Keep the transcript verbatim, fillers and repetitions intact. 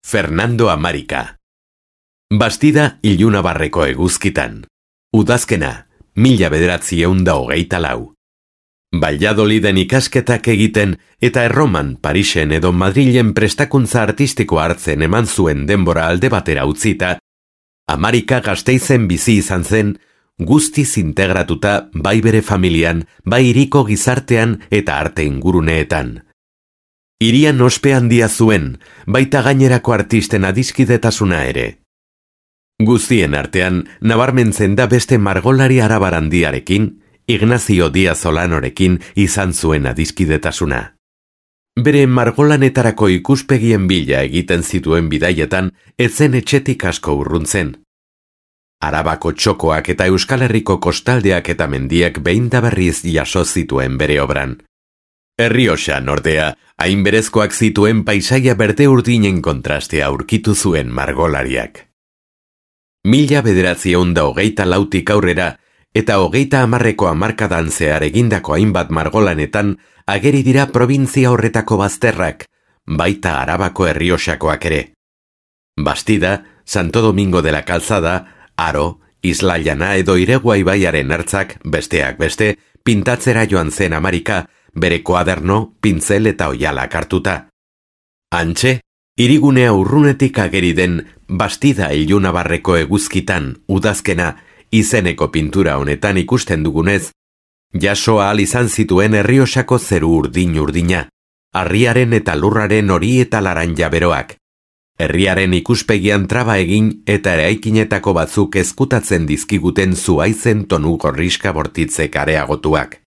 Fernando Amarika. Bastida Ilunabarreko eguzkitan. Udazkena, mila bederatziehun da hogeita lau. Valladoliden ikasketak egiten eta Erroman, Parisen edo Madrilen prestakuntza artistikoa hartzen eman zuen denbora alde batera utzita, Amarika Gasteizen bizi izan zen, guztiz integratuta bai bere familian, bai hiriko gizartean eta arte inguruneetan. Hirian ospe handia zuen, baita gainerako artisten adiskidetasuna ere. Guztien artean, nabarmentzen da beste margolari arabarandiarekin, Ignacio Díaz Olanorekin izan zuen adiskidetasuna. Bere margolanetarako ikuspegien bila egiten zituen bidaietan, etzen etxetik asko urruntzen. Arabako txokoak eta Euskal Herriko kostaldeak eta mendiak behin da berriz jaso zituen bere obran. Errioxan, ordea, hain berezkoak zituen paisaia berde urdinen kontrastea aurkitu zuen margolariak. Mila bederatziehun da hogeita lautik aurrera eta hogeita hamarreko hamarkadan zehar egindako hainbat margolanetan ageri dira probintzia horretako bazterrak, baita Arabako Errioxakoak ere. Bastida, Santo Domingo de la Calzada, Aro, Isla Llana edo Iregua ibaiaren ertzak, besteak beste, pintatzera joan zen Amarika, bere koaderno, pintzel eta oialak hartuta. Hantxe, hirigunea urrunetik ageri den Bastida Ilunabarreko eguzkitan, udazkena, izeneko pintura honetan ikusten dugunez, jaso ahal izan zituen Errioxako zeru urdin-urdina, harriaren eta lurraren hori eta laranja beroak, herriaren ikuspegian traba egin eta eraikinetako batzuk ezkutatzen dizkiguten zuaizen tonu gorriska bortitzek areagotuak.